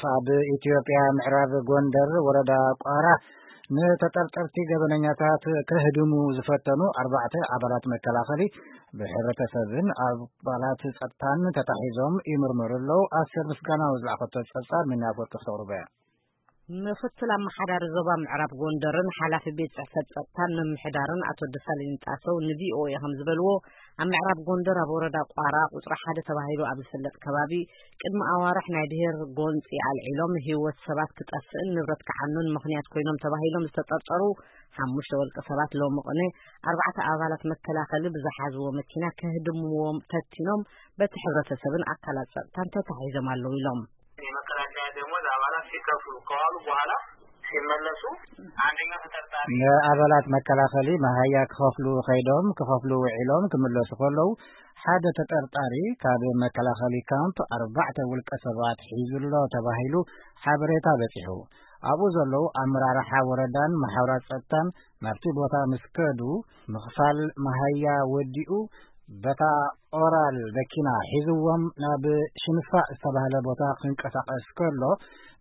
ካብ ኢትዮጵያ ምዕራብ ጎንደር ወረዳ ቋራ ንተጠርጠርቲ ገበነኛታት ከህድሙ ዝፈተኑ ኣርባዕተ ኣባላት መከላኸሊ ብሕብረተሰብን ኣባላት ጸጥታን ተታሒዞም ይምርመሩ ኣለዉ። ኣስር ምስጋናው ዝለኣኸቶ ጸብጻብ ሚና ወርቂ ክተቕርቦ እያ። ምኽትል ኣመሓዳሪ ዞባ ምዕራብ ጎንደርን ሓላፊ ቤት ጽሕፈት ጸጥታን ምምሕዳርን ኣቶ ደሳለኝ ጣሰው ንቪኦኤ ከም ዝበልዎ፣ ኣብ ምዕራብ ጎንደር ኣብ ወረዳ ቋራ ቁጽሪ ሓደ ተባሂሉ ኣብ ዝፍለጥ ከባቢ ቅድሚ ኣዋርሕ ናይ ድሄር ጎንጺ ኣልዒሎም ህይወት ሰባት ክጠፍእን ንብረት ክዓኑን ምኽንያት ኮይኖም ተባሂሎም ዝተጠርጠሩ ሓሙሽተ ወልቂ ሰባት ሎሚ ቅነ ኣርባዕተ ኣባላት መከላኸሊ ብዝሓዝዎ መኪና ከህድምዎም ፈቲኖም በቲ ሕብረተሰብን ኣካላት ጸጥታን ተታሒዞም ኣለዉ ኢሎም። የመከላከያ ደሞዝ አባላት ሲከፍሉ ከዋሉ በኋላ ሲመለሱ አንደኛው ተጠርጣሪ ንኣባላት መከላኸሊ መሃያ ክኸፍሉ ኸይዶም ክኸፍሉ ውዒሎም ክምለሱ ከለዉ ሓደ ተጠርጣሪ ካብ መከላኸሊ ካምፕ ኣርባዕተ ውልቀ ሰባት ሒዙ ኣሎ ተባሂሉ ሓበሬታ በጺሑ። ኣብኡ ዘለዉ ኣመራርሓ ወረዳን መሓውራት ጸጥታን ናብቲ ቦታ ምስ ከዱ ምኽፋል መሃያ ወዲኡ በታ ኦራል መኪና ሒዝዎም ናብ ሽንፋ ዝተባህለ ቦታ ክንቀሳቐስ ከሎ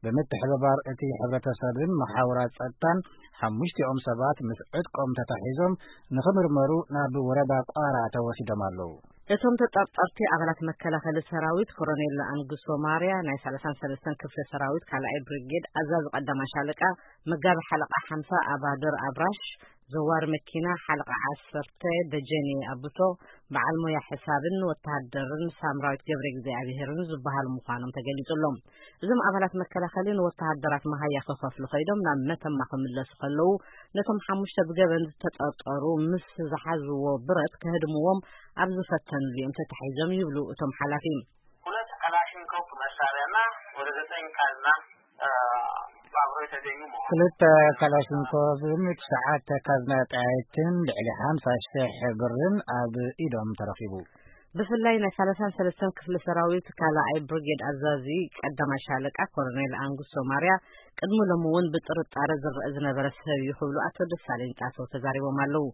ብምትሕብባር እቲ ሕብረተሰብን መሓውራት ጸጥታን ሓሙሽቲኦም ሰባት ምስ ዕጥቆም ተታሒዞም ንኽምርመሩ ናብ ወረዳ ቋራ ተወሲዶም ኣለዉ። እቶም ተጠርጠርቲ ኣባላት መከላኸሊ ሰራዊት ኮሎኔል ኣንጉሶ ማርያ ናይ ሰላሳን ሰለስተን ክፍለ ሰራዊት ካልኣይ ብሪጌድ ኣዛዚ ቀዳማይ ሻለቃ መጋቢ ሓለቃ ሓምሳ ኣባድር ኣብራሽ ዘዋሪ መኪና ሓለቃ ዓሰርተ ደጀኔ ኣቡቶ በዓል ሞያ ሕሳብን ወተሃደርን ሳምራዊት ገብረ እግዚኣብሄርን ዝበሃሉ ምዃኖም ተገሊጹ ኣሎ። እዞም ኣባላት መከላኸሊ ንወተሃደራት መሃያ ክኸፍሉ ኸይዶም ናብ መተማ ክምለሱ ከለዉ ነቶም ሓሙሽተ ብገበን ዝተጠርጠሩ ምስ ዝሓዝዎ ብረት ከህድምዎም ኣብ ዝፈተንሉ እዮም ተታሒዞም ይብሉ እቶም ሓላፊ። ሁለት ክላሽንኮቭ መሳሪያና ወደ ዘጠኝ ካዝና አብሮ የተገኙ መሆኑ ክልተ ካላሽንኮቭን ትሽዓተ ካዝና ጠያይትን ልዕሊ ሓምሳ ሽሕ ብርን ኣብ ኢዶም ተረኺቡ። ብፍላይ ናይ ሰላሳን ሰለስተን ክፍለ ሰራዊት ካልኣይ ብሪጌድ ኣዛዚ ቀዳማይ ሻለቃ ኮሎኔል ኣንጉሶ ማርያ ቅድሚ ሎሚ እውን ብጥርጣረ ዝረአ ዝነበረ ሰብ እዩ ክብሉ ኣቶ ደሳለኝ ጣሰው ተዛሪቦም ኣለዉ።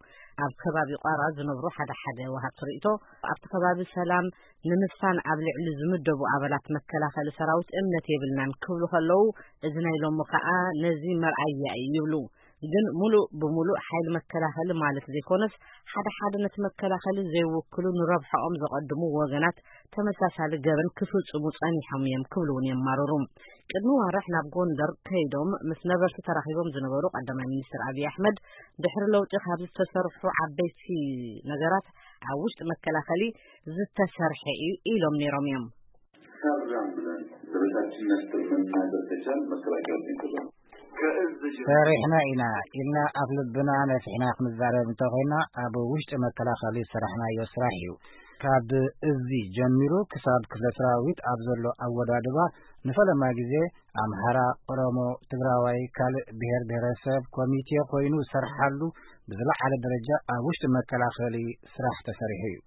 ኣብ ከባቢ ቋራ ዝነብሩ ሓደ ሓደ ወሃብቲ ርእይቶ ኣብቲ ከባቢ ሰላም ንምስፋን ኣብ ልዕሊ ዝምደቡ ኣባላት መከላኸሊ ሰራዊት እምነት የብልናን ክብሉ ከለዉ፣ እዚ ናይ ሎሚ ከኣ ነዚ መርኣያ እዩ ይብሉ። ግን ሙሉእ ብሙሉእ ሓይሊ መከላኸሊ ማለት ዘይኮነስ፣ ሓደ ሓደ ነቲ መከላኸሊ ዘይውክሉ ንረብሓኦም ዘቐድሙ ወገናት ተመሳሳሊ ገበን ክፍጽሙ ጸኒሖም እዮም ክብሉ እውን የማርሩ። ቅድሚ ዋርሕ ናብ ጎንደር ከይዶም ምስ ነበርቲ ተራኺቦም ዝነበሩ ቀዳማይ ሚኒስትር ኣብይ ኣሕመድ፣ ድሕሪ ለውጢ ካብ ዝተሰርሑ ዓበይቲ ነገራት ኣብ ውሽጢ መከላኸሊ ዝተሰርሐ እዩ ኢሎም ነይሮም እዮም። ሰራን ብለን ደረጃችን ነስጥር መናገር ከቻል መከላከያ ውስጥ ይንቀሳቀሱ። ከእዝ ጀምሮ ሰሪሕና ኢና ኢልና ኣፍ ልብና ነፊሕና ክንዛረብ እንተኾይና ኣብ ውሽጢ መከላኸሊ ዝሰራሕናዮ ስራሕ እዩ። ካብ እዚ ጀሚሩ ክሳብ ክፍለ ሰራዊት ኣብ ዘሎ ኣወዳድባ ንፈለማ ግዜ ኣምሓራ፣ ኦሮሞ፣ ትግራዋይ፣ ካልእ ብሄር ብሄረሰብ ኮሚቴ ኮይኑ ዝሰርሓሉ ብዝለዓለ ደረጃ ኣብ ውሽጢ መከላኸሊ ስራሕ ተሰሪሑ እዩ።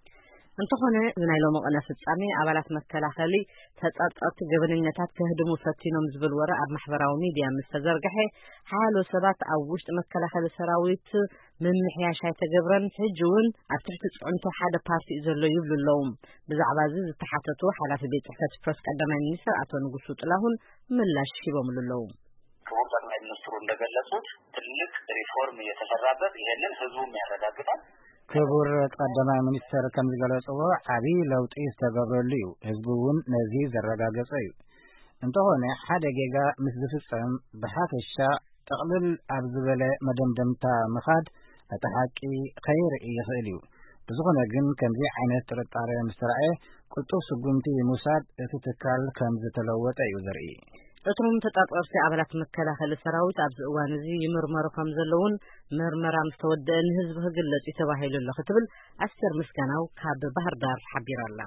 እንተኾነ እዚ ናይ ሎሚ ቅነ ፍጻሜ ኣባላት መከላኸሊ ተጠርጠርቲ ገበነኛታት ከህድሙ ፈቲኖም ዝብል ወረ ኣብ ማሕበራዊ ሚድያ ምስ ተዘርግሐ ሓያሎ ሰባት ኣብ ውሽጢ መከላኸሊ ሰራዊት ምምሕያሽ ኣይተገብረን፣ ሕጂ እውን ኣብ ትሕቲ ጽዕንቶ ሓደ ፓርቲ እዩ ዘሎ ይብሉ ኣለዉ። ብዛዕባ እዚ ዝተሓተቱ ሓላፊ ቤት ጽሕፈት ፕረስ ቀዳማይ ሚኒስትር ኣቶ ንጉሱ ጥላሁን ምላሽ ሂቦምሉ ኣለዉ። ክቡር ጠቅላይ ሚኒስትሩ እንደገለጹት ትልቅ ሪፎርም እየተሰራበት፣ ይሄንን ህዝቡም ያረጋግጣል። ክቡር ቀዳማይ ሚኒስትር ከም ዝገለጽዎ ዓቢ ለውጢ ዝተገብረሉ እዩ፣ ህዝቢ እውን ነዚ ዘረጋገጸ እዩ። እንተኾነ ሓደ ጌጋ ምስ ዝፍጸም ብሓፈሻ ጥቕልል ኣብ ዝበለ መደምደምታ ምኻድ ነቲ ሓቂ ከይርኢ ይኽእል እዩ። ብዝኾነ ግን ከምዚ ዓይነት ጥርጣረ ምስ ተራእየ ቅልጡፍ ስጉምቲ ምውሳድ እቲ ትካል ከም ዝተለወጠ እዩ ዘርኢ። እቶም ተጠርጠርቲ ኣባላት መከላኸሊ ሰራዊት ኣብዚ እዋን እዚ ይምርመሩ ከም ዘለውን ምርመራ ምስ ተወደአ ንህዝቢ ክግለጽ እዩ ተባሂሉ ኣሎ ክትብል ኣስቴር ምስጋናው ካብ ባህር ዳር ሓቢራ ኣላ።